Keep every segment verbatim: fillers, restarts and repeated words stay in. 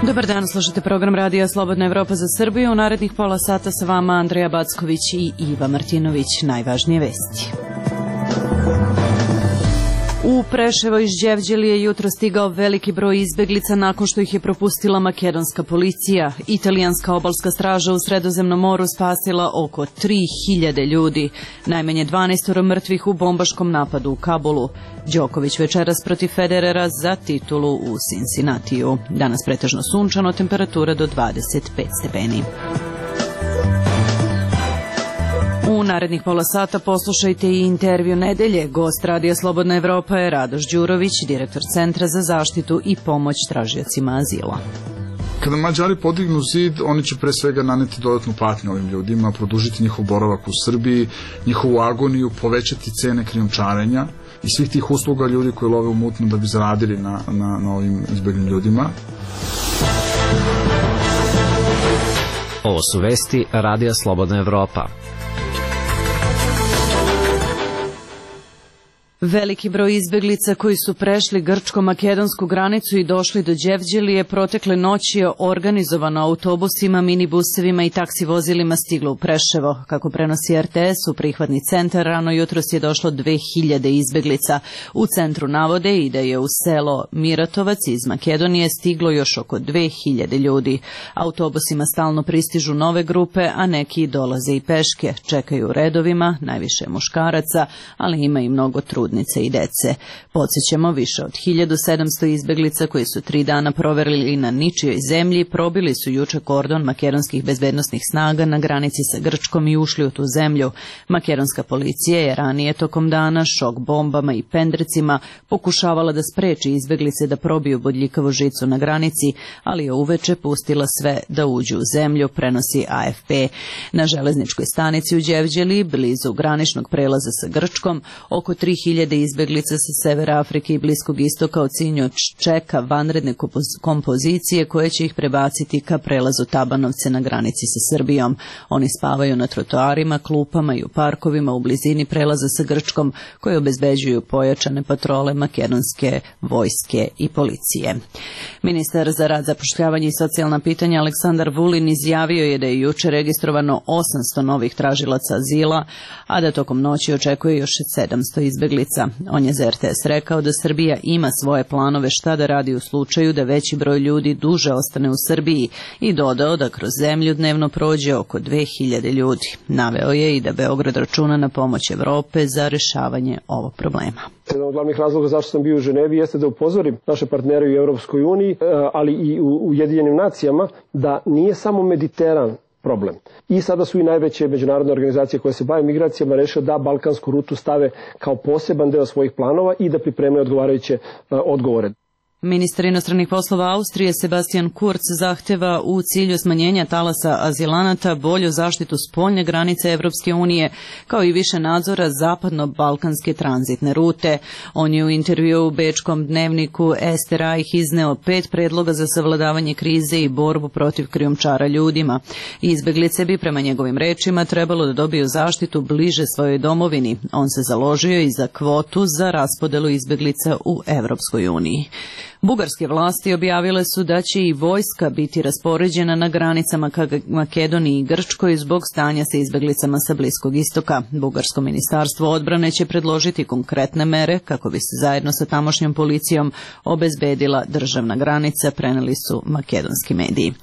Dobar dan, slušate program Radija Slobodna Evropa za Srbiju. U narednih pola sata sa vama Andreja Backović i Iva Martinović. Najvažnije vesti. U Preševo iz Đevđelije je jutro stigao veliki broj izbeglica nakon što ih je propustila makedonska policija. Italijanska obalska straža u Sredozemnom moru spasila oko tri hiljade ljudi. Najmanje dvanaest mrtvih u bombaškom napadu u Kabulu. Đoković večeras protiv Federera za titulu u Cincinnatiju. Danas pretežno sunčano, temperatura do dvadeset pet stepeni. U narednih pola sata poslušajte i intervju nedelje. Gost Radija Slobodna Evropa je Radoš Đurović, direktor Centra za zaštitu i pomoć tražiocima azila. Kada Mađari podignu zid, oni će pre svega naneti dodatnu patnju ovim ljudima, produžiti njihov boravak u Srbiji, njihovu agoniju, povećati cene krijumčarenja i svih tih usluga ljudi koji love u mutnom da bi zaradili na, na, na ovim izbeglim ljudima. Ovo su vesti Radija Slobodna Evropa. Veliki broj izbeglica koji su prešli grčko-makedonsku granicu i došli do Đevđelije protekle noći je organizovano autobusima, minibusevima i taksi vozilima stiglo u Preševo. Kako prenosi R T S, u prihvatni centar rano jutros je došlo dve hiljade izbeglica. U centru navode i da je u selo Miratovac iz Makedonije stiglo još oko dve hiljade ljudi. Autobusima stalno pristižu nove grupe, a neki dolaze i peške. Čekaju u redovima, najviše muškaraca, ali ima i mnogo trudnika i dece. Podsjećamo, više od hiljadu sedamsto izbeglica koji su tri dana proverili na ničijoj zemlji probili su juče kordon makedonskih bezbednosnih snaga na granici sa Grčkom i ušli u tu zemlju. Makedonska policija je ranije tokom dana šok bombama i pendrecima pokušavala da spreči izbeglice da probiju bodljikavu žicu na granici, ali je uveče pustila sve da uđu u zemlju, prenosi A F P. Na železničkoj stanici u Đevđeliji, blizu graničnog prelaza sa Grčkom, oko tri hiljade izbeglica sa severa Afrike i Bliskog istoka od Sinjoč čeka vanredne kompozicije koje će ih prebaciti ka prelazu Tabanovce na granici sa Srbijom. Oni spavaju na trotoarima, klupama i u parkovima u blizini prelaza sa Grčkom koje obezbeđuju pojačane patrole makedonske vojske i policije. Ministar za rad, zapošljavanje i socijalna pitanja Aleksandar Vulin izjavio je da je juče registrovano osamsto novih tražilaca azila, a da tokom noći očekuje još sedamsto izbeglica. On je za R T S rekao da Srbija ima svoje planove šta da radi u slučaju da veći broj ljudi duže ostane u Srbiji i dodao da kroz zemlju dnevno prođe oko dve hiljade ljudi. Naveo je i da Beograd računa na pomoć Evrope za rešavanje ovog problema. Jedan od glavnih razloga zašto sam bio u Ženevi jeste da upozorim naše partnere u Evropskoj uniji, ali i u Ujedinjenim nacijama, da nije samo Mediteran problem. I sada su i najveće međunarodne organizacije koje se bave migracijama rešile da balkansku rutu stave kao poseban deo svojih planova i da pripreme odgovarajuće odgovore. Ministar inostranih poslova Austrije Sebastian Kurz zahteva u cilju smanjenja talasa azilanata bolju zaštitu spoljne granice Evropske unije, kao i više nadzora zapadno-balkanske tranzitne rute. On je u intervju u bečkom dnevniku Ester Reich izneo pet predloga za savladavanje krize i borbu protiv krijumčara ljudima. Izbeglice bi, prema njegovim rečima, trebalo da dobiju zaštitu bliže svojoj domovini. On se založio i za kvotu za raspodelu izbeglica u Evropskoj uniji. Bugarske vlasti objavile su da će i vojska biti raspoređena na granicama ka Makedoniji i Grčkoj zbog stanja sa izbeglicama sa Bliskog istoka. Bugarsko ministarstvo odbrane će predložiti konkretne mere kako bi se zajedno sa tamošnjom policijom obezbedila državna granica, preneli su makedonski mediji.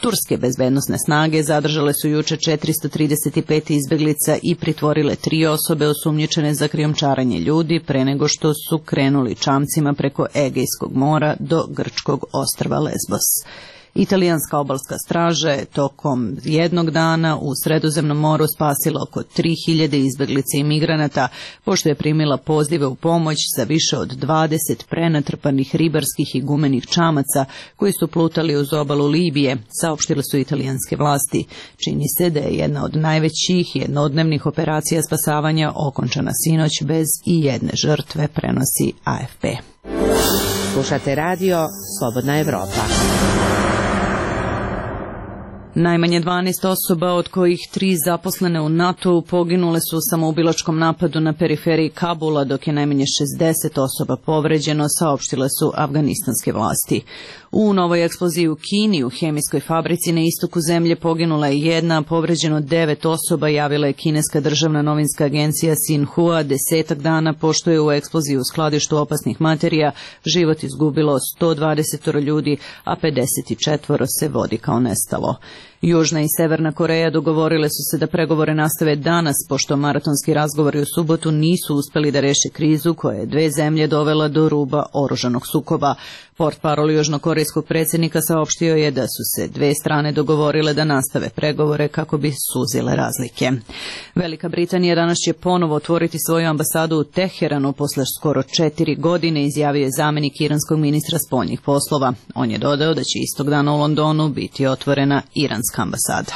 Turske bezbednosne snage zadržale su juče četiristo trideset pet izbeglica i pritvorile tri osobe osumnjičene za krijumčarenje ljudi pre nego što su krenuli čamcima preko Egejskog mora do grčkog ostrva Lesbos. Italijanska obalska straža je tokom jednog dana u Sredozemnom moru spasila oko tri hiljade izbeglica i migranata, pošto je primila pozive u pomoć za više od dvadeset prenatrpanih ribarskih i gumenih čamaca koji su plutali uz obalu Libije, saopštile su italijanske vlasti. Čini se da je jedna od najvećih jednodnevnih operacija spasavanja okončana sinoć bez i jedne žrtve, prenosi A F P. Slušate radio Slobodna Evropa. Najmanje dvanaest osoba, od kojih tri zaposlene u NATO-u, poginule su u samoubilačkom napadu na periferiji Kabula, dok je najmanje šezdeset osoba povređeno, saopštile su afganistanske vlasti. U novoj eksploziji u Kini, u hemijskoj fabrici na istoku zemlje, poginula je jedna, povređeno devet osoba, javila je kineska državna novinska agencija Xinhua, desetak dana pošto je u eksploziji u skladištu opasnih materija život izgubilo sto dvadeset ljudi, a pedeset četiri se vodi kao nestalo. Južna i Severna Koreja dogovorile su se da pregovore nastave danas, pošto maratonski razgovori u subotu nisu uspeli da reše krizu koja je dve zemlje dovela do ruba oružanog sukoba. Portparol južnokorejskog predsjednika saopštio je da su se dve strane dogovorile da nastave pregovore kako bi suzile razlike. Velika Britanija danas će ponovo otvoriti svoju ambasadu u Teheranu posle skoro četiri godine, izjavio je zamenik iranskog ministra spoljnih poslova. On je dodao da će istog dana u Londonu biti otvorena iranska ambasada.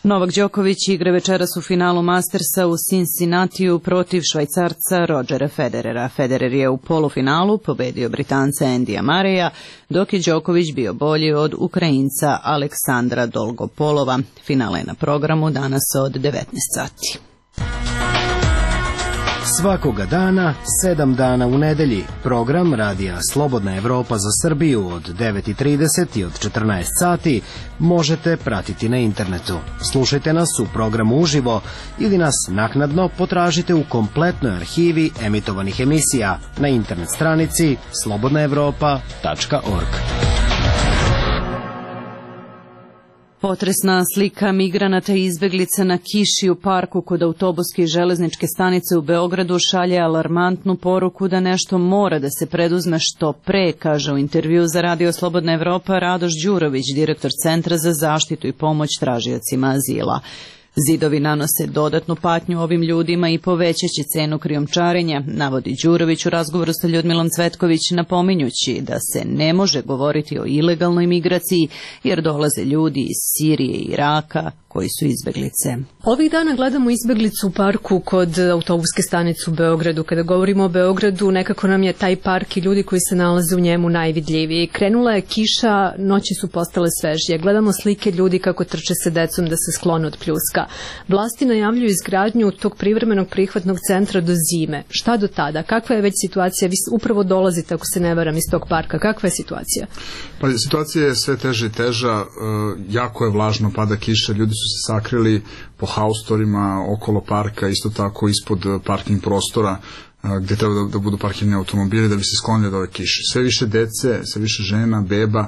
Novak Đoković igra večeras u finalu Mastersa u Cincinnatiju protiv Švajcarca Rodgera Federera. Federer je u polufinalu pobedio Britanca Andyja Murraya, dok je Đoković bio bolji od Ukrajinca Aleksandra Dolgopolova. Finale je na programu danas od devetnaest sati. Svakoga dana, sedam dana u nedelji, program Radija Slobodna Evropa za Srbiju od devet i trideset i od četrnaest sati možete pratiti na internetu. Slušajte nas u programu uživo ili nas naknadno potražite u kompletnoj arhivi emitovanih emisija na internet stranici slobodna evropa tačka org. Potresna slika migranata i izbeglica na kiši u parku kod autobuske i železničke stanice u Beogradu šalje alarmantnu poruku da nešto mora da se preduzme što pre, kaže u intervju za Radio Slobodna Evropa Radoš Đurović, direktor Centra za zaštitu i pomoć tražiocima azila. Zidovi nanose dodatnu patnju ovim ljudima i povećaće cenu krijumčarenja, navodi Đurović u razgovoru sa Ljudmilom Cvetković, napominjući da se ne može govoriti o ilegalnoj migraciji jer dolaze ljudi iz Sirije i Iraka koji su izbeglice. Ovih dana gledamo izbeglicu u parku kod autobuske stanice u Beogradu. Kada govorimo o Beogradu, nekako nam je taj park i ljudi koji se nalaze u njemu najvidljiviji. Krenula je kiša, noći su postale svežije. Gledamo slike ljudi kako trče se decom da se sklone od pljuska. Vlasti najavljuju izgradnju tog privremenog prihvatnog centra do zime. Šta do tada? Kakva je već situacija? Vi upravo dolazite, ako se ne varam, iz tog parka. Kakva je situacija? Pa situacija je sve teža i teža. Jako je vlažno, pada kiša, ljudi su se sakrili po haustorima okolo parka, isto tako ispod parking prostora gde treba da, da budu parkirani automobili da bi se sklonili od ove kiše. Sve više dece, sve više žena, beba,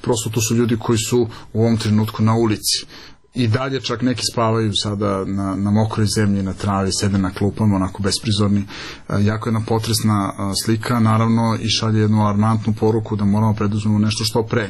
prosto to su ljudi koji su u ovom trenutku na ulici. I dalje čak neki spavaju sada na, na mokroj zemlji, na travi, sede na klupama, onako besprizorni. Jako jedna potresna slika, naravno, i šalje jednu alarmantnu poruku da moramo preduzmemo nešto što pre.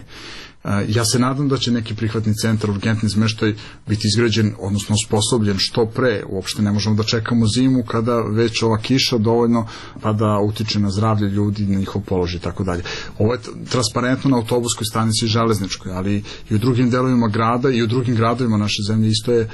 Ja se nadam da će neki prihvatni centar, urgentni smeštaj biti izgrađen, odnosno osposobljen što pre. Uopšte ne možemo da čekamo zimu kada već ova kiša dovoljno pa da utiče na zdravlje ljudi, na njihov položaj i tako dalje. Ovo je transparentno na autobuskoj stanici i železničkoj, ali i u drugim delovima grada i u drugim gradovima naše zemlje isto je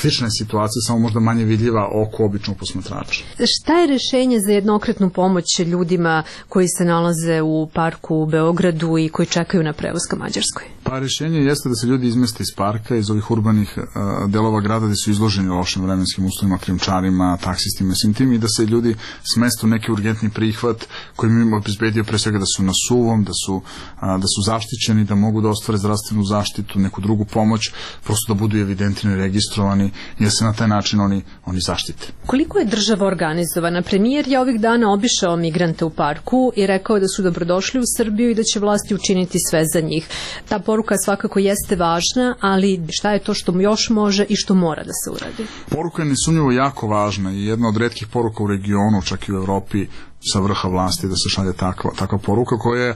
slična situacija, samo možda manje vidljiva oko običnog posmatrača. Šta je rešenje za jednokratnu pomoć ljudima koji se nalaze u parku u Beogradu i koji čekaju na prevoz ka Mađarskoj? Pa rešenje jeste da se ljudi izmeste iz parka, iz ovih urbanih uh, delova grada gde su izloženi lošim vremenskim uslovima, krijumčarima, taksistima i svim tim, i da se ljudi smeste u neki urgentni prihvat koji im obezbedio pre svega da su na suvom, da su, uh, da su zaštićeni, da mogu da ostvare zdravstvenu zaštitu, neku drugu pomoć, prosto da budu evidentirani, registrovani i da se na taj način oni, oni zaštite. Koliko je država organizovana? Premijer je ovih dana obišao migrante u parku i rekao da su dobrodošli u Srbiju i da će vlasti učiniti sve za njih. Ta poruka svakako jeste važna, ali šta je to što još može i što mora da se uradi? Poruka je nesumnjivo jako važna i jedna od retkih poruka u regionu, čak i u Evropi, sa vrha vlasti da se šalje takva, takva poruka koja,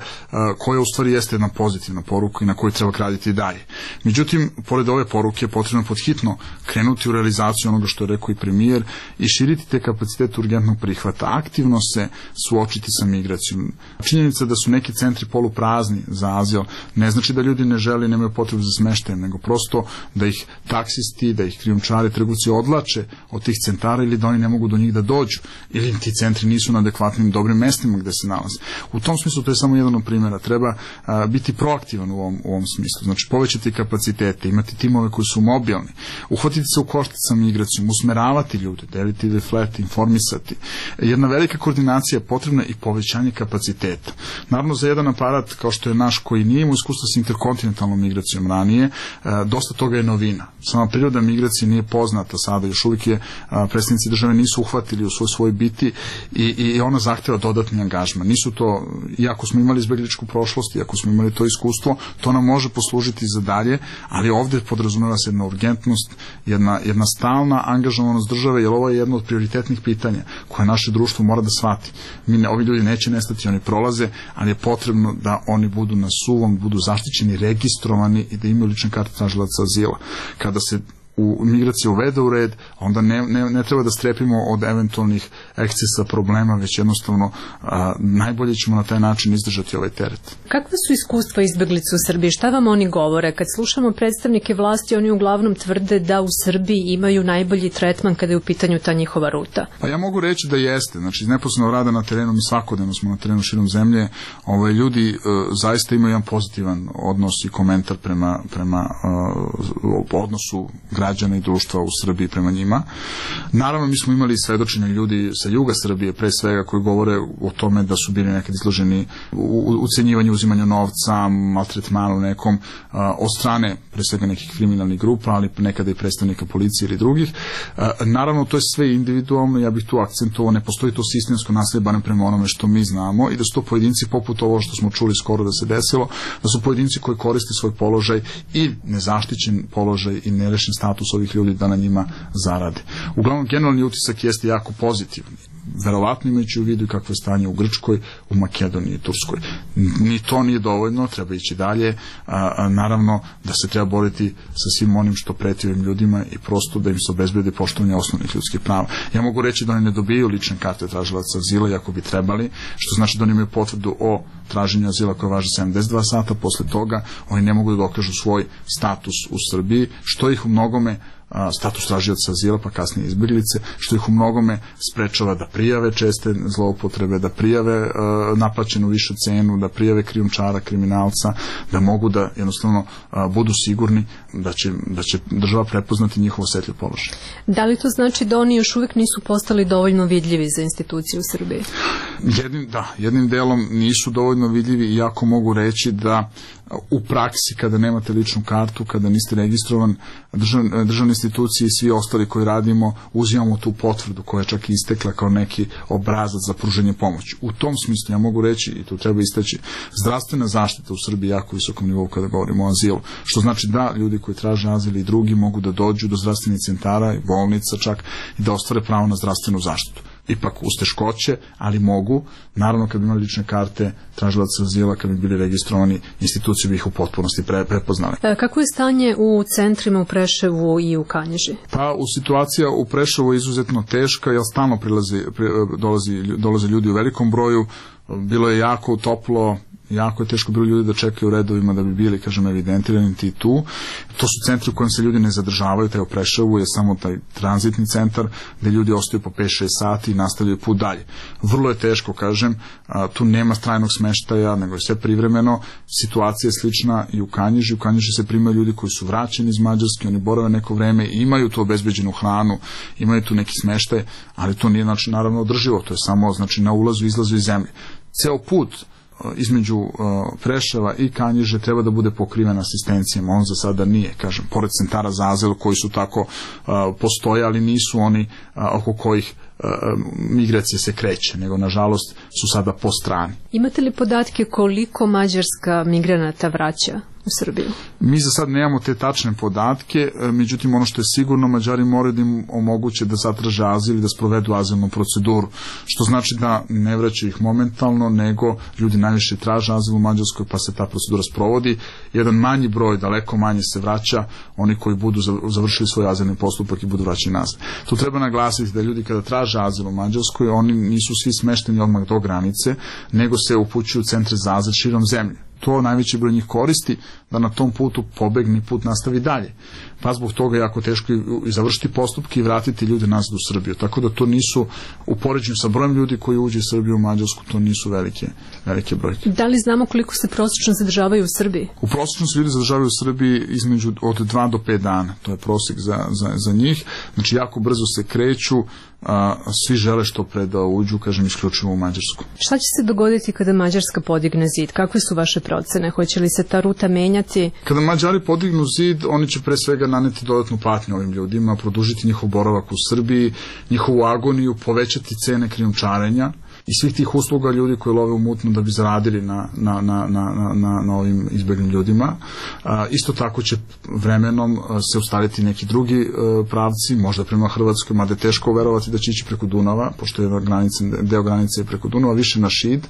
koja u stvari jeste jedna pozitivna poruka i na kojoj treba graditi i dalje. Međutim, pored ove poruke je potrebno podhitno krenuti u realizaciju onoga što je rekao i premijer i širiti te kapacitete urgentnog prihvata, aktivno se suočiti sa migracijom. Činjenica da su neki centri poluprazni za azil ne znači da ljudi ne žele, nemaju potrebu za smeštajem, nego prosto da ih taksisti, da ih krijumčari, trgovci odlače od tih centara ili da oni ne mogu do njih da dođu ili ti centri nisu na adekvatan adekvatnim dobrim mestima gde se nalaze. U tom smislu to je samo jedan od primjera. Treba a, biti proaktivan u ovom, u ovom smislu. Znači povećati kapacitete, imati timove koji su mobilni, uhvatiti se u koštac sa migracijom, usmeravati ljude, deliti deflete, informisati. Jedna velika koordinacija je potrebna i povećanje kapaciteta. Naravno za jedan aparat kao što je naš koji nije imao iskustva sa interkontinentalnom migracijom ranije, a, dosta toga je novina. Sama priroda migracije nije poznata sada, još uvijek je a, predstavnici države nisu uhvatili u svoj svoj biti i, i ona zahteva dodatni angažman. Nisu to, iako smo imali izbegličku prošlost, iako smo imali to iskustvo, to nam može poslužiti za dalje, ali ovdje podrazumeva se jedna urgentnost, jedna, jedna stalna angažovanost države, jer ovo je jedno od prioritetnih pitanja koje naše društvo mora da shvati. Mi ne, ovi ljudi neće nestati, oni prolaze, ali je potrebno da oni budu na suvom, budu zaštićeni, registrovani i da imaju lične karte tražilaca azila. Kada se u migraciji uvede u red, onda ne, ne, ne treba da strepimo od eventualnih ekscesa problema, već jednostavno a, najbolje ćemo na taj način izdržati ovaj teret. Kakve su iskustva izbeglica u Srbiji? Šta vam oni govore? Kad slušamo predstavnike vlasti, oni uglavnom tvrde da u Srbiji imaju najbolji tretman kada je u pitanju ta njihova ruta. Pa ja mogu reći da jeste. Znači, iz neposrednog rada na terenu, mi svakodnevno smo na terenu širom zemlje, ovaj, ljudi e, zaista imaju jedan pozitivan odnos i komentar prema, prema e, odnosu građana i društva u Srbiji prema njima. Naravno, mi smo imali svedočenja ljudi sa juga Srbije, pre svega, koji govore o tome da su bili nekad izloženi u ucenjivanju, uzimanju novca, maltretmanu nekom a, od strane, pre svega, nekih kriminalnih grupa, ali nekada i predstavnika policije ili drugih. A, naravno, to je sve individualno, ja bih tu akcentovao, ne postoji to sistemsko nasilje, barem prema onome što mi znamo, i da su to pojedinci poput ovo što smo čuli skoro da se desilo, da su pojedinci koji koriste svoj položaj i nezaštićen položaj i nerešen status ovih ljudi da na njima zarade. Uglavnom, generalni utisak jeste jako pozitivni. Verovatno imajući u vidu i kakvo je stanje u Grčkoj, u Makedoniji i Turskoj. Ni to nije dovoljno, treba ići dalje. A, a, naravno da se treba boriti sa svim onim što preti ovim ljudima i prosto da im se obezbedi poštovanje osnovnih ljudskih prava. Ja mogu reći da oni ne dobijaju lične karte tražilaca azila, iako bi trebali, što znači da oni imaju potvrdu o traženju azila koja važi sedamdeset dva sata. Posle toga oni ne mogu da dokažu svoj status u Srbiji, što ih u mnogome status tražioca azila, pa kasnije izbeglice, što ih u mnogome sprečava da prijave česte zloupotrebe, da prijave uh, naplaćenu višu cenu, da prijave krijumčara, kriminalca, da mogu da jednostavno uh, budu sigurni da će, da će država prepoznati njihov osetljiv položaj. Da li to znači da oni još uvijek nisu postali dovoljno vidljivi za institucije u Srbiji? Jednim, da, jednim delom nisu dovoljno vidljivi, iako mogu reći da u praksi, kada nemate ličnu kartu, kada niste registrovan, držav, državne institucije i svi ostali koji radimo, uzimamo tu potvrdu koja je čak istekla kao neki obrazac za pruženje pomoći. U tom smislu ja mogu reći, i tu treba istaći, zdravstvena zaštita u Srbiji jako visokom nivou kada govorimo o azilu, što znači da ljudi koji traže azil i drugi mogu da dođu do zdravstvenih centara i bolnica čak i da ostvare pravo na zdravstvenu zaštitu. Ipak uz teškoće, ali mogu. Naravno, kad bi imali lične karte tražilaca azila, kad bi bili registrovani, institucije bi ih u potpunosti pre, prepoznali. Kako je stanje u centrima u Preševu i u Kanjiži? Pa, u situacija u Preševu je izuzetno teška, jer stalno prilazi, pri, dolazi, dolaze ljudi u velikom broju. Bilo je jako toplo, jako je teško bilo ljudi da čekaju u redovima da bi bili, kažem, evidentirani ti tu. To su centri u kojem se ljudi ne zadržavaju, taj u Preševu je samo taj tranzitni centar gde ljudi ostaju po pet šest sati i nastavljaju put dalje. Vrlo je teško, kažem, a, tu nema trajnog smeštaja, nego je sve privremeno. Situacija je slična i u Kanjiži. U Kanjiži se primaju ljudi koji su vraćeni iz Mađarske, oni borave neko vreme i imaju tu obezbeđenu hranu, imaju tu neki smeštaj, ali to nije, znači, naravno održivo, to je samo, znači, na ulazu i izlazu iz zemlje. Ceo put između uh, Preševa i Kanjiže treba da bude pokriven asistencijama. On za sada nije, kažem, pored centara za azil koji su tako uh, postoje, ali nisu oni uh, oko kojih uh, migracije se kreće, nego nažalost su sada po strani. Imate li podatke koliko Mađarska migranata vraća u Srbiju? Mi za sad nemamo te tačne podatke, međutim ono što je sigurno, Mađari moraju da im omoguće da zatraže azil i da sprovedu azilnu proceduru, što znači da ne vraćaju ih momentalno, nego ljudi najviše traže azil u Mađarskoj, pa se ta procedura sprovodi. Jedan manji broj, daleko manje se vraća, oni koji budu završili svoj azilni postupak i budu vraćani nazad. Tu treba naglasiti da ljudi kada traže azil u Mađarskoj, oni nisu svi smešteni odmah do granice, nego se upućuju u centre za azil širom zemlje. To najveći broj njih koristi, da na tom putu pobegne i put nastavi dalje. Pa zbog toga je jako teško i završiti postupke i vratiti ljude nazad u Srbiju. Tako da to nisu, u poređenju sa brojem ljudi koji uđe iz Srbije u Mađarsku, to nisu velike, velike brojke. Da li znamo koliko se prosečno zadržavaju u Srbiji? U prosečno se ljudi zadržavaju u Srbiji između od dva do pet dana. To je prosjek za, za, za njih. Znači jako brzo se kreću, a, svi žele što pre da uđu, kažem, isključivo u Mađarsku. Šta će se dogoditi kada Mađarska podigne zid? Kakve su vaše procene? Hoće li se ta ruta menjati? Kada Mađari podignu zid, oni će pre svega naneti dodatnu patnju ovim ljudima, produžiti njihov boravak u Srbiji, njihovu agoniju, povećati cene krijumčarenja i svih tih usluga ljudi koji love u mutnu da bi zaradili na, na, na, na, na, na ovim izbeglim ljudima. A, isto tako će vremenom se ustaliti neki drugi e, pravci, možda prema Hrvatskoj, mada je teško verovati da će ići preko Dunava, pošto je granice, deo granice je preko Dunava, više na Šid,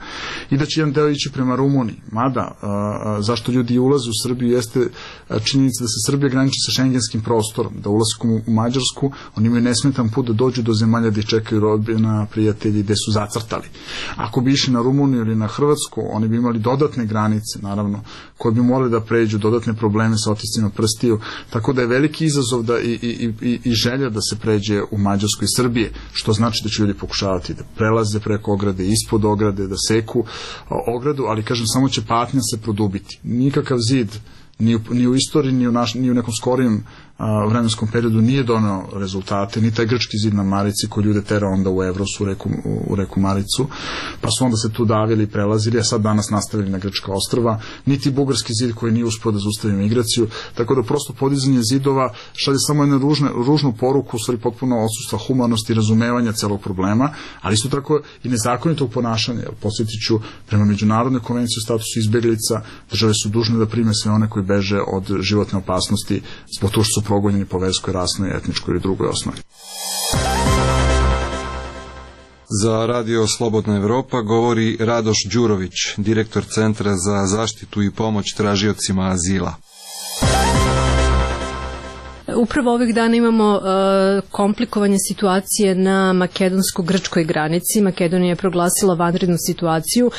i da će jedan deo ići prema Rumuniji. Mada, a, zašto ljudi ulaze u Srbiju jeste činjenica da se Srbija graniči sa šengenskim prostorom, da ulaskom u Mađarsku oni imaju nesmetan put da dođu do zemalja gde čekaju rodbina, prijatelji, gde su zacrtali. Ako bi išli na Rumuniju ili na Hrvatsku, oni bi imali dodatne granice, naravno, koje bi morali da pređu, dodatne probleme sa otiscima prstiju, tako da je veliki izazov da i, i, i, i želja da se pređe u Mađarsku i Srbije, što znači da će ljudi pokušavati da prelaze preko ograde, ispod ograde, da seku ogradu, ali kažem, samo će patnja se produbiti. Nikakav zid ni u, ni u istoriji, ni u, naš, ni u nekom skorijem a, vremenskom periodu nije doneo rezultate, ni taj grčki zid na Marici koji ljude tera onda u Evros, u reku, u, u reku Maricu, pa su onda se tu davili i prelazili, a sad danas nastavili na grčka ostrva, niti bugarski zid koji nije uspio da zaustavi migraciju, tako da prosto podizanje zidova šalje samo jednu ružne, ružnu poruku, u stvari potpuno odsustva humanosti i razumevanja celog problema, ali isto tako i nezakonitog ponašanja, jer podsjetit ću, prema Međunarodnoj konvenciji o statusu izbeglica, države su dužne da prime sve one koji beže od životne opasnosti zbog toga što su progonjeni po verskoj, rasnoj, etničkoj ili drugoj osnovi. Za Radio Slobodna Evropa govori Radoš Đurović, direktor Centra za zaštitu i pomoć tražiocima azila. Upravo ovih dana imamo uh, komplikovanje situacije na makedonsko-grčkoj granici. Makedonija je proglasila vanrednu situaciju. Uh,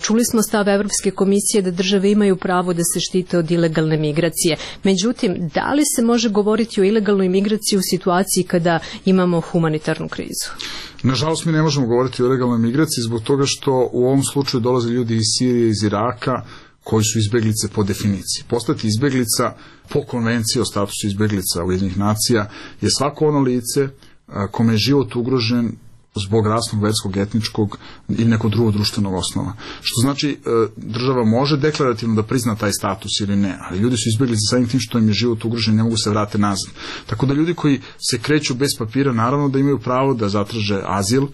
čuli smo stav Evropske komisije da države imaju pravo da se štite od ilegalne migracije. Međutim, da li se može govoriti o ilegalnoj migraciji u situaciji kada imamo humanitarnu krizu? Nažalost, mi ne možemo govoriti o ilegalnoj migraciji zbog toga što u ovom slučaju dolaze ljudi iz Sirije, iz Iraka, koji su izbeglice po definiciji. Postati izbeglica po konvenciji o statusu izbeglica Ujedinjenih nacija je svako ono lice kome je život ugrožen zbog rasnog, verskog, etničkog ili nekog drugog društvenog osnova. Što znači, država može deklarativno da prizna taj status ili ne, ali ljudi su izbeglice samim tim što im je život ugrožen, ne mogu se vrate nazad. Tako da ljudi koji se kreću bez papira, naravno da imaju pravo da zatraže azil,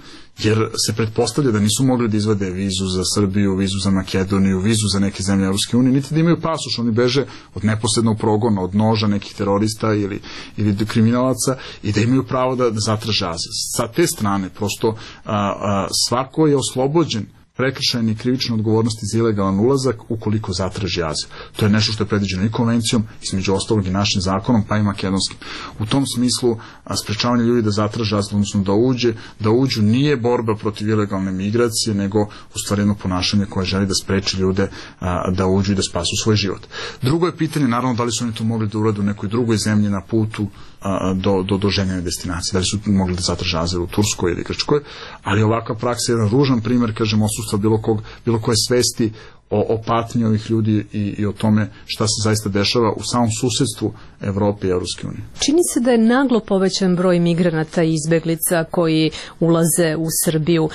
jer se pretpostavlja da nisu mogli da izvade vizu za Srbiju, vizu za Makedoniju, vizu za neke zemlje Evropske unije, niti da imaju pasoš, oni beže od neposrednog progona, od noža nekih terorista ili, ili kriminalaca i da imaju pravo da, da zatraže azil. Sa te strane, prosto a, a, svako je oslobođen prekršajne i krivične odgovornosti za ilegalan ulazak ukoliko zatraži azil. To je nešto što je predviđeno i konvencijom, između ostalog i našim zakonom, pa i makedonskim. U tom smislu, sprečavanje ljudi da zatraže azil, odnosno da uđe, da uđu nije borba protiv ilegalne migracije, nego u stvari jedno ponašanje koje želi da spreči ljude a, da uđu i da spasu svoj život. Drugo je pitanje, naravno, da li su oni to mogli da urade u nekoj drugoj zemlji na putu a, do, do, do željene destinacije, da li su mogli da zatraže azil u Turskoj ili Grčkoj, ali ovakva praksa je jedan ružan primer, kažem, odsustva bilo, kog, bilo koje svesti o, o patnji ovih ljudi i, i o tome šta se zaista dešava u samom susedstvu Evrope i Evropske unije. Čini se da je naglo povećan broj migranata i izbeglica koji ulaze u Srbiju,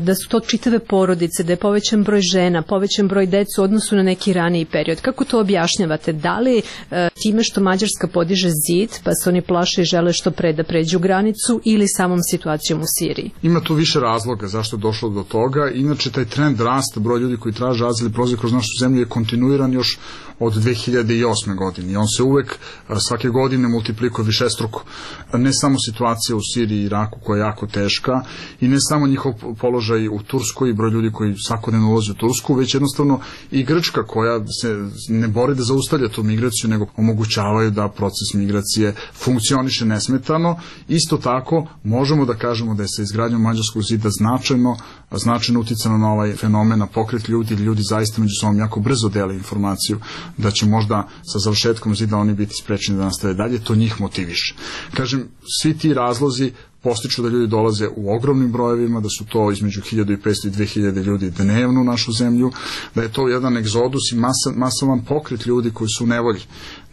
da su to čitave porodice, da je povećan broj žena, povećan broj dece u odnosu na neki raniji period. Kako to objašnjavate? Da li time što Mađarska podiže zid, pa se oni plaše i žele što pre da pređu granicu, ili samom situacijom u Siriji? Ima tu više razloga zašto je došlo do toga. Inače, taj trend rasta broja ljudi koji traže azil i prolaze kroz našu zemlju je kontinuiran još od dve hiljade osme. godine i on se uvek svake godine multiplikuje višestruko. Ne samo situacija u Siriji i Iraku koja je jako teška i ne samo njihov položaj u Turskoj i broj ljudi koji svakodnevno ulaze u Tursku, već jednostavno i Grčka koja se ne bori da zaustavlja tu migraciju, nego omogućavaju da proces migracije funkcioniše nesmetano. Isto tako možemo da kažemo da je sa izgradnjom Mađarskog zida značajno, značajno uticano na ovaj fenomen, na pokret ljudi, ljudi zaista zaista među sobom jako brzo dele informaciju da će možda sa završetkom zida oni biti sprečeni da nastave dalje, to njih motiviše. Kažem, svi ti razlozi postiču da ljudi dolaze u ogromnim brojevima, da su to između hiljadu petsto i dve hiljade ljudi dnevno u našu zemlju, da je to jedan egzodus i masa, masovan pokret ljudi koji su u nevolji.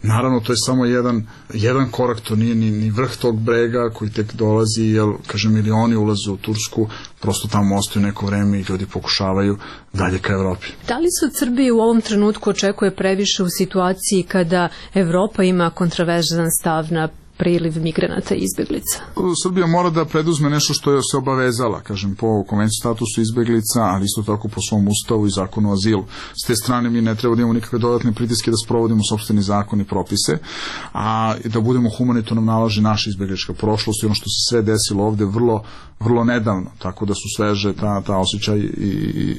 Naravno, to je samo jedan, jedan korak, to nije ni, ni vrh tog brega koji tek dolazi, jer, kažem, milioni ulaze u Tursku, prosto tamo ostaju neko vreme i ljudi pokušavaju dalje ka Evropi. Da li se od Srbije u ovom trenutku očekuje previše u situaciji kada Evropa ima kontroverzan stav na priliv migranata i izbeglica? Srbija mora da preduzme nešto što je se obavezala, kažem, po konvenciji statusu izbeglica, ali isto tako po svom ustavu i zakonu o azilu. S te strane mi ne treba da imamo nikakve dodatne pritiske da sprovodimo sopstveni zakon i propise, a da budemo humanitarno nalaži naša izbeglička prošlost i ono što se sve desilo ovde vrlo, vrlo nedavno, tako da su sveže ta, ta osjećaj i,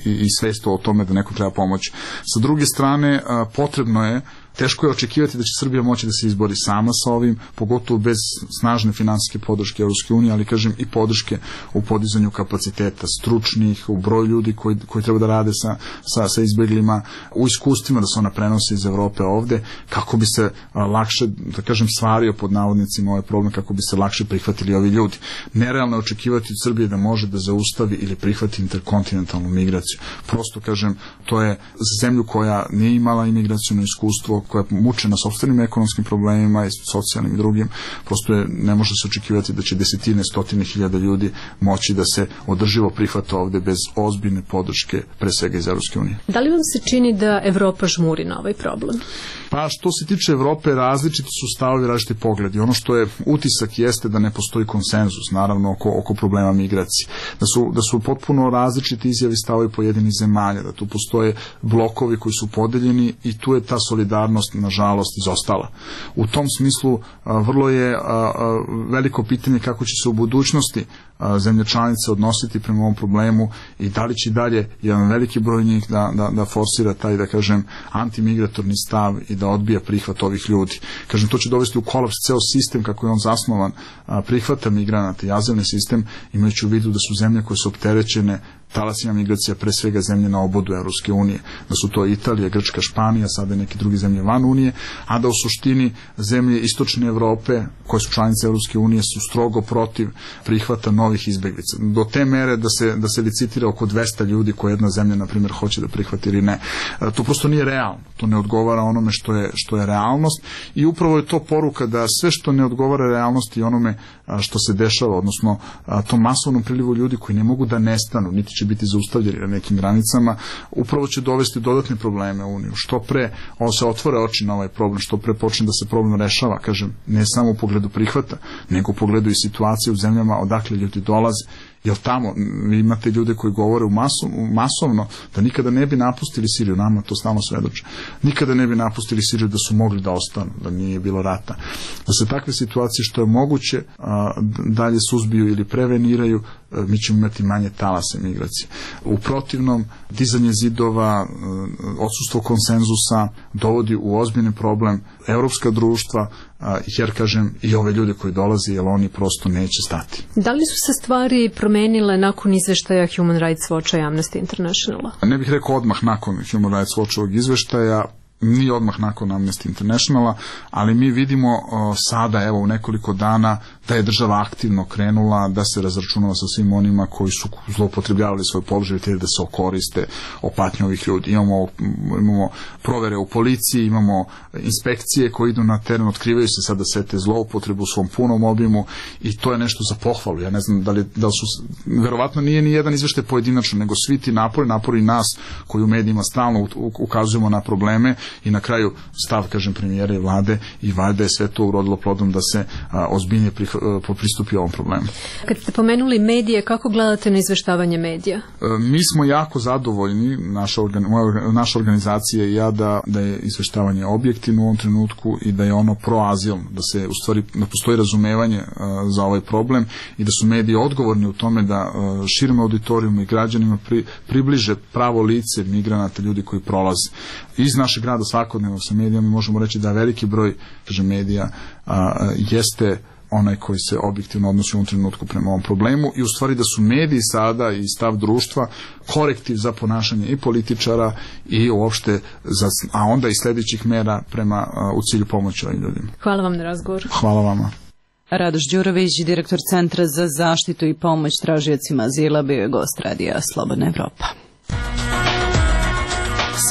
i, i svest o tome da neko treba pomoći. Sa druge strane, potrebno je, teško je očekivati da će Srbija moći da se izbori sama sa ovim, pogotovo bez snažne finansijske podrške Evropske unije, ali kažem i podrške u podizanju kapaciteta stručnih, u broju ljudi koji, koji treba da rade sa, sa, sa izbeglima, u iskustvima da se ona prenose iz Evrope ovde, kako bi se a, lakše, da kažem, stvario pod navodnicima ovaj problem, kako bi se lakše prihvatili ovi ljudi. Nerealno je očekivati od Srbije da može da zaustavi ili prihvati interkontinentalnu migraciju. Prosto, kažem, to je zemlju koja nije imala imigracijno iskustvo, koja je mučena sopstvenim ekonomskim problemima i socijalnim i drugim, prosto je, ne može se očekivati da će desetine, stotine hiljada ljudi moći da se održivo prihvata ovde bez ozbiljne podrške, pre svega iz Evropske unije. Da li vam se čini da Evropa žmuri na ovaj problem? Pa što se tiče Evrope, različiti su stavovi, različiti pogledi. Ono što je utisak jeste da ne postoji konsenzus, naravno, oko, oko problema migracije. Da su, da su potpuno različiti izjavi stavovi pojedinih zemalja, da tu postoje blokovi koji su podeljeni i tu je ta solidarnost, nažalost, izostala. U tom smislu a, vrlo je a, a, veliko pitanje kako će se u budućnosti a, zemlje članice odnositi prema ovom problemu i da li će dalje jedan veliki broj njih da, da, da forsira taj, da kažem, antimigratorni stav i da odbija prihvat ovih ljudi. Kažem, to će dovesti u kolaps ceo sistem kako je on zasnovan, a, prihvata migranata i azilni sistem, imajući u vidu da su zemlje koje su opterećene talasima migracija, pre svega zemlje na obodu Evropske unije, da su to Italija, Grčka, Španija, sada neke druge zemlje van Unije, a da u suštini zemlje istočne Evrope, koje su članice Evropske unije, su strogo protiv prihvata novih izbeglica. Do te mere da se, da se licitira oko dvesta ljudi koje jedna zemlja, na primjer, hoće da prihvati ili ne. To prosto nije realno. To ne odgovara onome što je, što je realnost i upravo je to poruka da sve što ne odgovara realnosti i onome što se dešava, odnosno tom masovnom prilivu ljudi koji ne mogu da nestanu, niti će biti zaustavljeni na nekim granicama, upravo će dovesti dodatne probleme u Uniju. Što pre on se otvore oči na ovaj problem, što pre počne da se problem rešava, kažem, ne samo u pogledu prihvata, nego u pogledu i situacije u zemljama odakle ljudi dolaze. Jer tamo vi imate ljude koji govore u maso, masovno da nikada ne bi napustili Siriju, nama to stalno svedoče, nikada ne bi napustili Siriju da su mogli da ostanu, da nije bilo rata. Da se takve situacije što je moguće a, dalje suzbiju ili preveniraju, a, mi ćemo imati manje talase migracije. U protivnom, dizanje zidova, odsustvo konsenzusa dovodi u ozbiljni problem evropska društva, jer, kažem, i ove ljude koji dolaze, jer oni prosto neće stati. Da li su se stvari promenile nakon izveštaja Human Rights Watcha i Amnesty Internationala? Ne bih rekao odmah nakon Human Rights Watchovog izveštaja, ni odmah nakon Amnesty Internationala, ali mi vidimo o, sada, evo, u nekoliko dana da je država aktivno krenula da se razračunava sa svim onima koji su zloupotrebljavali svoj položaj te da se okoriste o patnji ovih ljudi. Imamo, imamo provere u policiji, imamo inspekcije koje idu na teren, otkrivaju se sada sve te zloupotrebu u svom punom obimu i to je nešto za pohvalu. Ja ne znam da li, da li su, verovatno nije ni jedan izveštaj pojedinačno, nego svi ti napori, napori nas koji u medijima stalno ukazujemo na probleme i na kraju stav, kažem, premijera i vlade i valjda je sve to urodilo plodom da se a, ozbiljnije prih, a, pristupi ovom problemu. Kad ste pomenuli medije, kako gledate na izveštavanje medija? A, mi smo jako zadovoljni, naša, organ, moja, naša organizacija i ja, da, da je izveštavanje objektivno u ovom trenutku i da je ono proazilno, da se u stvari da postoji razumevanje a, za ovaj problem i da su mediji odgovorni u tome da a, širom auditorijumu i građanima pri, približe pravo lice migranata, ljudi koji prolaze. Iz našeg grada svakodnevno sa medijama možemo reći da veliki broj, kažem, medija a, jeste onaj koji se objektivno odnosi u ovom trenutku prema ovom problemu i u stvari da su mediji sada i stav društva korektiv za ponašanje i političara i uopšte, za, a onda i sljedećih mera prema, u cilju pomoći ovim ljudima. Hvala vam na razgovor. Hvala vama. Radoš Đurović, direktor Centra za zaštitu i pomoć tražiocima azila, bio je gost Radija Slobodna Evropa.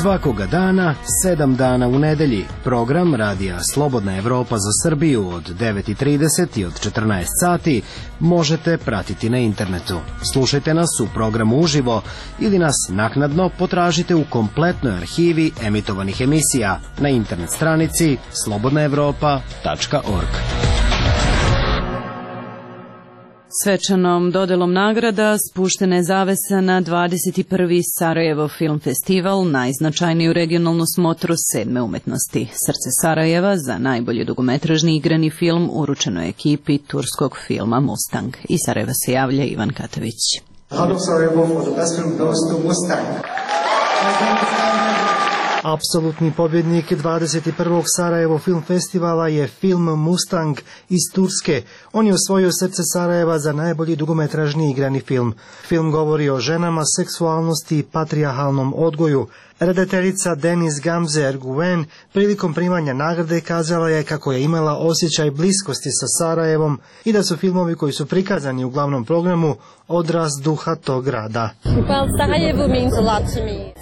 Svakoga dana, sedam dana u nedelji, program Radija Slobodna Evropa za Srbiju od devet i trideset i od četrnaest sati možete pratiti na internetu. Slušajte nas u programu uživo ili nas naknadno potražite u kompletnoj arhivi emitovanih emisija na internet stranici slobodna evropa tačka org. Svečanom dodelom nagrada spuštena je zavesa na dvadeset prvi Sarajevo film festival, najznačajniju regionalnu smotru sedme umetnosti. Srce Sarajeva za najbolji dugometražni igrani film uručeno je ekipi turskog filma Mustang. Iz Sarajeva se javlja Ivan Katović. Out of Sarajevo for the best film goes to Mustang. Apsolutni pobjednik dvadeset prvog Sarajevo film festivala je film Mustang iz Turske. On je osvojio Srce Sarajeva za najbolji dugometražni igrani film. Film govori o ženama, seksualnosti i patrijarhalnom odgoju. Redateljica Deniz Gamze Erguven prilikom primanja nagrade kazala je kako je imala osjećaj bliskosti sa Sarajevom i da su filmovi koji su prikazani u glavnom programu odraz duha tog grada.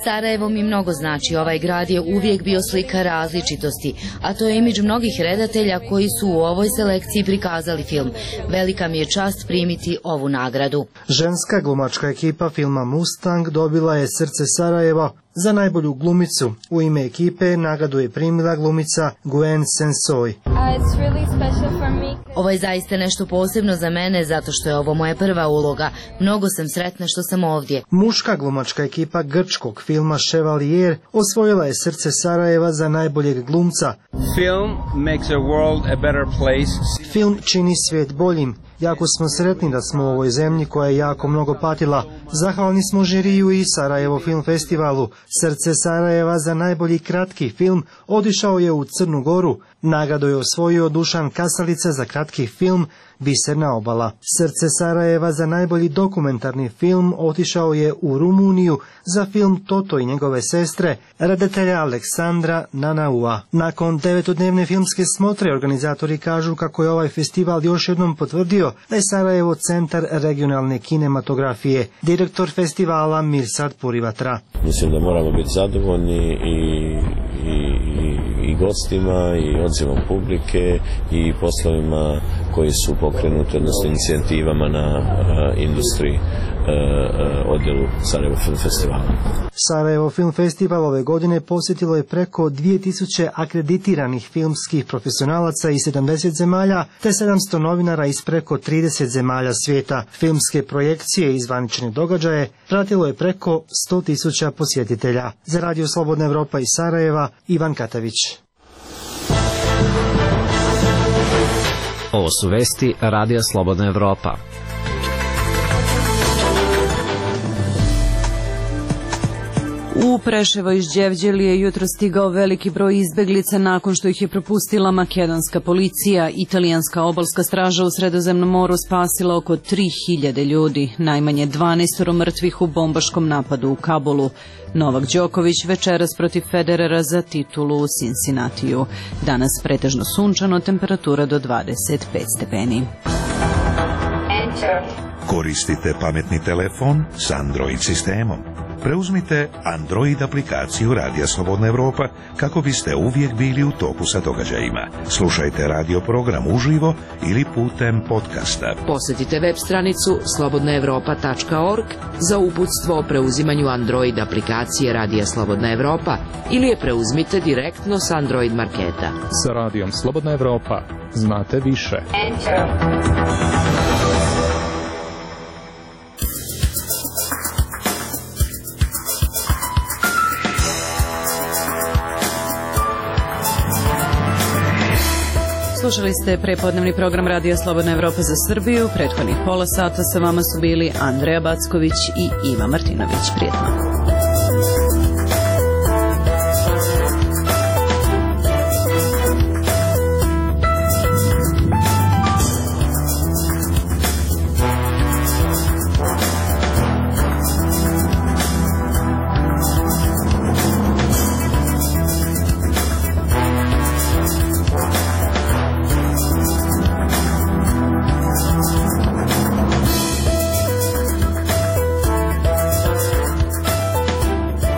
Sarajevo mi mnogo znači. Ovaj grad je uvijek bio slika različitosti, a to je imidž mnogih redatelja koji su u ovoj selekciji prikazali film. Velika mi je čast primiti ovu nagradu. Ženska glumačka ekipa filma Mustang dobila je Srce Sarajeva za najbolju glumicu. U ime ekipe nagradu je primila glumica Gwen Sensoy. Ovo je zaista nešto posebno za mene zato što je ovo moja prva uloga. Mnogo sam sretna što sam ovdje. Muška glumačka ekipa grčkog filma Chevalier osvojila je Srce Sarajeva za najboljeg glumca. Film makes a world a better place. Film čini svijet boljim. Jako smo sretni da smo u ovoj zemlji koja je jako mnogo patila. Zahvalni smo žiriju i Sarajevo film festivalu. Srce Sarajeva za najbolji kratki film otišao je u Crnu Goru. Nagradu je osvojio Dušan Kasalica za kratki film Biserna obala. Srce Sarajeva za najbolji dokumentarni film otišao je u Rumuniju za film Toto i njegove sestre, redatelja Aleksandra Nanaua. Nakon devetodnevne filmske smotre organizatori kažu kako je ovaj festival još jednom potvrdio da je Sarajevo centar regionalne kinematografije. Direktor festivala Mirsad Purivatra. Mislim da moramo biti zadovoljni i, i, i, i gostima i odzivom publike i poslovima koji su pokrenuti, odnosno inicijativama na uh, industriji uh, uh, odjelu Sarajevo Film Festivala. Sarajevo Film Festival ove godine posjetilo je preko dvije tisuće akreditiranih filmskih profesionalaca iz sedamdeset zemalja te sedamsto novinara iz preko trideset zemalja svijeta. Filmske projekcije i zvanične događaje pratilo je preko sto tisuća posjetitelja. Za Radio Slobodna Evropa iz Sarajeva, Ivan Katavić. Ovo su vesti Radija Slobodna Evropa. U Preševo iz Đevđelije jutro stigao veliki broj izbeglica nakon što ih je propustila makedonska policija. Italijanska obalska straža u Sredozemnom moru spasila oko tri hiljade ljudi, najmanje dvanaest mrtvih u bombaškom napadu u Kabulu. Novak Đoković večeras protiv Federera za titulu u Cincinnatiju. Danas pretežno sunčano, temperatura do dvadeset pet stepeni. Koristite pametni telefon s Android sistemom. Preuzmite Android aplikaciju Radija Slobodna Evropa kako biste uvijek bili u toku sa događajima. Slušajte radio program uživo ili putem podcasta. Posjetite web stranicu slobodna evropa tačka org za uputstvo o preuzimanju Android aplikacije Radija Slobodna Evropa ili je preuzmite direktno s Android marketa. Sa Radijom Slobodna Evropa znate više. Slušali ste prepodnevni program Radija Slobodna Evropa za Srbiju. Prethodnih pola sata sa vama su bili Andreja Backović i Iva Martinović. Prijetno.